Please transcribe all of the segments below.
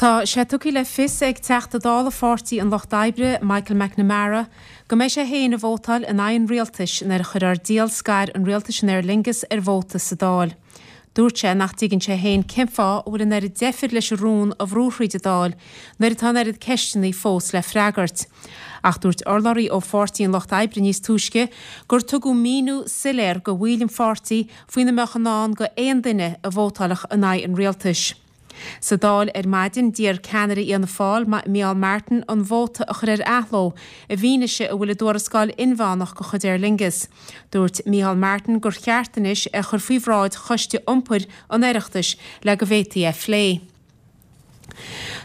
Tá sé tugtha le fios ag Teachta Dála Pháirtí an Lucht Oibre, Michael McNamara, go mbeidh sé féin ag vótáil in aghaidh an rialtais nuair a chuirfear díol scair an rialtais in Aer Lingus ar vóta sa Dáil. Dúirt sé nach dtuigeann sé féin cén fáth a bhfuil an oiread deifir leis an rún a bhrú thríd an Dáil nuair atá an oiread ceisteanna fós le freagairt. Ach dúirt urlabhraí ó Pháirtí an Lucht Oibre níos túisce gur tugadh míniú soiléir go bhaill an pháirtí faoina mbeadh i ndán go aon duine a vótálfadh in aghaidh an rialtais. Sa Dáil ar maidin, d'iarr ceannaire Fhianna Fáil, Micheál Martin, an vóta a chur ar athló i bhfianaise a bhfuil i dtuarascáil inmheánach de chuid Aer Lingus. Dúirt Micheál Martin gur cheart anois é a chur faoi bhráid Choiste Iompair an Oireachtais le go bhféadfaí é a phlé.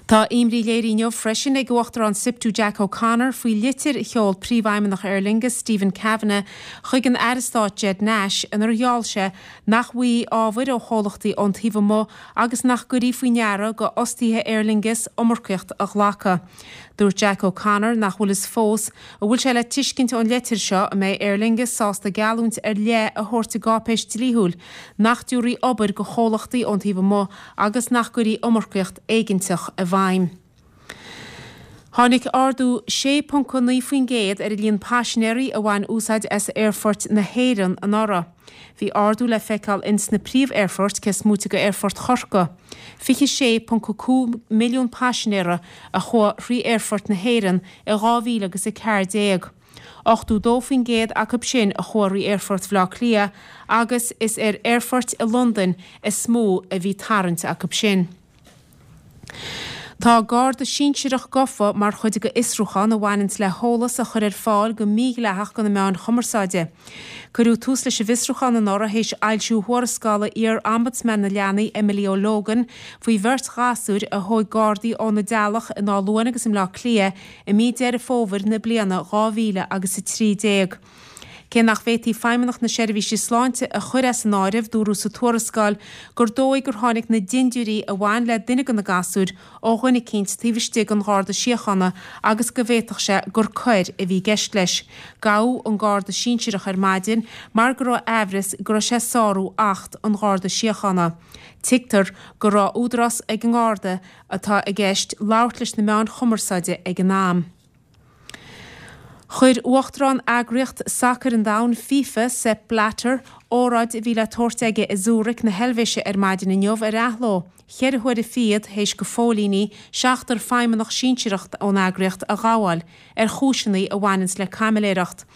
Tá imní léirithe inniu freisin ag Uachtarán Siptu Jack O'Connor faoi litir a sheol Príomhfheidhmeannach Aer Lingus, Stephen Kavanagh, chuig an Aire Stáit Ged Nash inar gheall sé nach bhfaighfí ábhair ó chomhlachtaí ón taobh amuigh agus nach gcuirfí faoi ndeara go fhostaithe Aer Lingus iomarcaíocht a ghlacadh. Dúirt Jack O'Connor nach bhfuil fhios fós an bhfuil sé le tuiscint ón leitir seo an mbeidh Aer Lingus sásta geallúint ar leith a thabhairt i gcáipéis dlíthiúil nach dtabharfaí obair go chomhlachtaí ón taobh amuigh agus nach gcuirfí iomarcaíocht éiginteach i bhfeidhm. Tháinig ardú 6.9% ar an líon paisinéirí a bhain úsáid as aerfoirt na hÉireann anuraidh. Bhí ardú le feiceáil ins na príomh-aerfoirt cé is móite de Aerfort Chorcaí. 26.5 milliún paisinéara a chuaigh thrí aerfoirt na hÉireann i 2014. 82% acu sin a chuaigh thrí Aerfort Bhaile Átha Cliath agus is ar aerfoirt i Londain is mó a bhí tarraingt acu sin. Tá Garda sinsearach gafa mar chuid de fhiosrúchán a bhaineanns le heolas a chur ar fáil go mídhleathach do na meáin chumarsáide. Cuireadh tús leis an bhfiosrúchán anuraidh théis fhoilsiú thuarascála iar-Ombudsman na Leanaí Emily O'Logan faoi bheirt ghasúir a thóig Gardaí óna dteaghlach in Áth Luain agus i mBleá Cliath i mí Deireadh Fómhair na bliana 2000 agus 13. Cé nach bhféadfaí Feidhmeannacht na Seirbhíse Sláinte a chur as an áireamh, dúradh sa tuarascáil gur dóigh gur tháinig na dindiúirí a bhain le duine de na gasúir ó dhuine eicínt taobh istigh den Gharda Síochána agus go bhféadfadh sé gur coir a bhí i gceist leis. Gabhadh an Garda sinsearach ar maidin mar go raibh aimhreas go raibh sé ag sárú Acht an Gharda Síochána. Tuigtear go raibh údarás ag an nGarda atá i gceist labhairt leis na meáin chumarsáide ag an am. Chuir Uachtarán Eagraíocht Sacair an Domhain, FIFA, Sepp Blatter, óráid a bhí le tabhairt aige i Zurich na hEilvéise ar maidin inniu ar athló, cheithre huaire fichead théis go phóilíní seachtar feidhmeannach sinsearach ón eagraíocht a ghabháil ar chúiseanna a bhaineanns le caimiléireacht.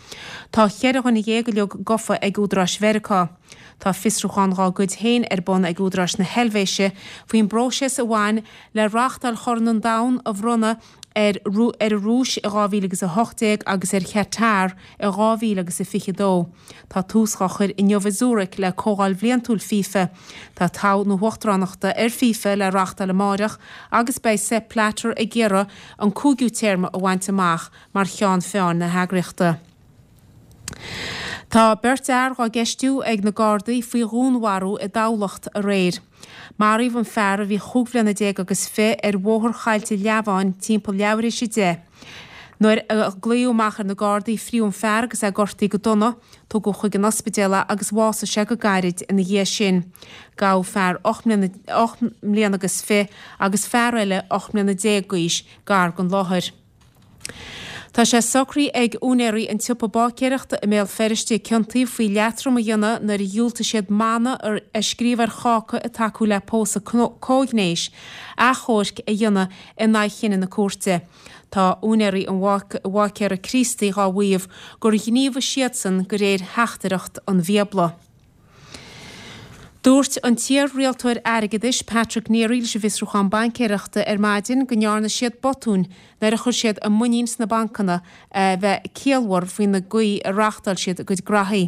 Tá cheithre dhuine dhéag uilig gofa ag údaráis Mheiriceá. Tá fiosrúchán dhá gcuid féin ar bun ag údaráis na hEilvéise faoin bpróiseas a bhain le reáchtáil Chorn an Domhain a bhronnadh ar ar an Rúis i 2018 agus ar Chatar i 2022. Tá tús dhá chur inniu i Zurich le Comhdháil Bhliantúil FIFA. Tá toghadh na huachtaránachta ar FIFA le reáchtáil amáireach agus beidh Sepp Blatter ag iarraidh an cúigiú téarma a bhaint amach mar cheann feadhain na heagraíochta. Tá beirt fhear dhá gceistiú ag na Gardaí faoi dhúnmharú i dTamhlacht aréir. Maraíodh an fear, a bhí chúig bhliana déag agus fi, ar Bhóthar Choillte Leamháin timpeall leathuair théis a deich. Nuair a glaodh amach ar na Gardaí fríodh an fear agus é gortaithe go dona. Tugadh chuig an ospidéal é agus bhásaigh sé go gairid ina dhiaidh sin. Gabhadh fear 8 mbliana agus fi agus fear eile 18 mbliana d'aois gar don láthair. Tá sé socraithe ag úinéirí an tsiopa báicéireachta i mBéal Feirste a ciontaíodh faoi leatrom a dhéanamh nuair a dhiúltaigh siad mana a scríobh ar cháca ag tacú le pósadh comhghnéis, achomhairc a dhéanamh in aghaidh chinneadh na cúirte. Tá úinéirí an bháicéara Críostaí dhá mhaíomh gur ghníomhaigh siadsan de réir theachtaireacht an Bhíobla. Dúirt an t-iar-rialtóir airgeadais Patrick Neary leis an bhFiosrúchán Baincéireachta ar maidin go ndearna siad botúin nuair a chuir siad a muinín sna bancanna a bheith ciallmhar faoina gcaoi a reáchtáil siad a gcuid graithí.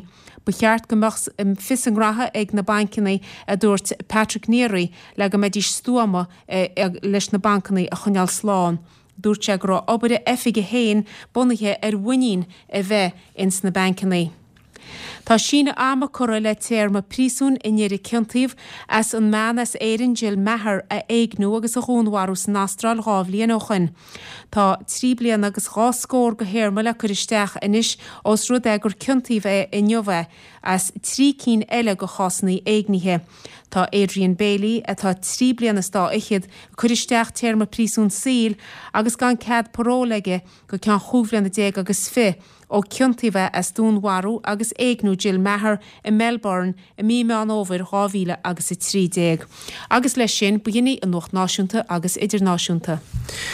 Ba cheart go mbeadh fios a ngraithe ag na bainceanna, a dúirt Patrick Neary, le go mbeidís stuama leis na bancanna a choinneáil slán. Dúirt sé go raibh obair a oifige féin bunaithe ar mhuinín a bheith ins na bainceanna. Tá síneadh ama curtha le téarma príosúin i nDoire ciontaíodh as an mbean as Éirinn Jill Meagher a éigniú agus a dhúnmharú san Astráil 2 bhliain ó shoin. Tá 3 bliana agus 2 scór de théarma le cur isteach anois ós rud é gur ciontaíodh é inniu é as 3 cinn eile de chásanna éignithe. Tá Adrian Bailey, atá 3 bliana is dá fhichead, ag cur isteach téarma príosúin saoil agus gan cead paróil aige go ceann chúig bhliana déag agus fich ó ciontaíodh é as dúnmharú agus éigniú Jill Meagher i Melbourne i mí Meán Fhómhair 2000 agus 13. Agus leis sin, b'shin í an Nuacht Náisiúnta agus Idirnáisiúnta.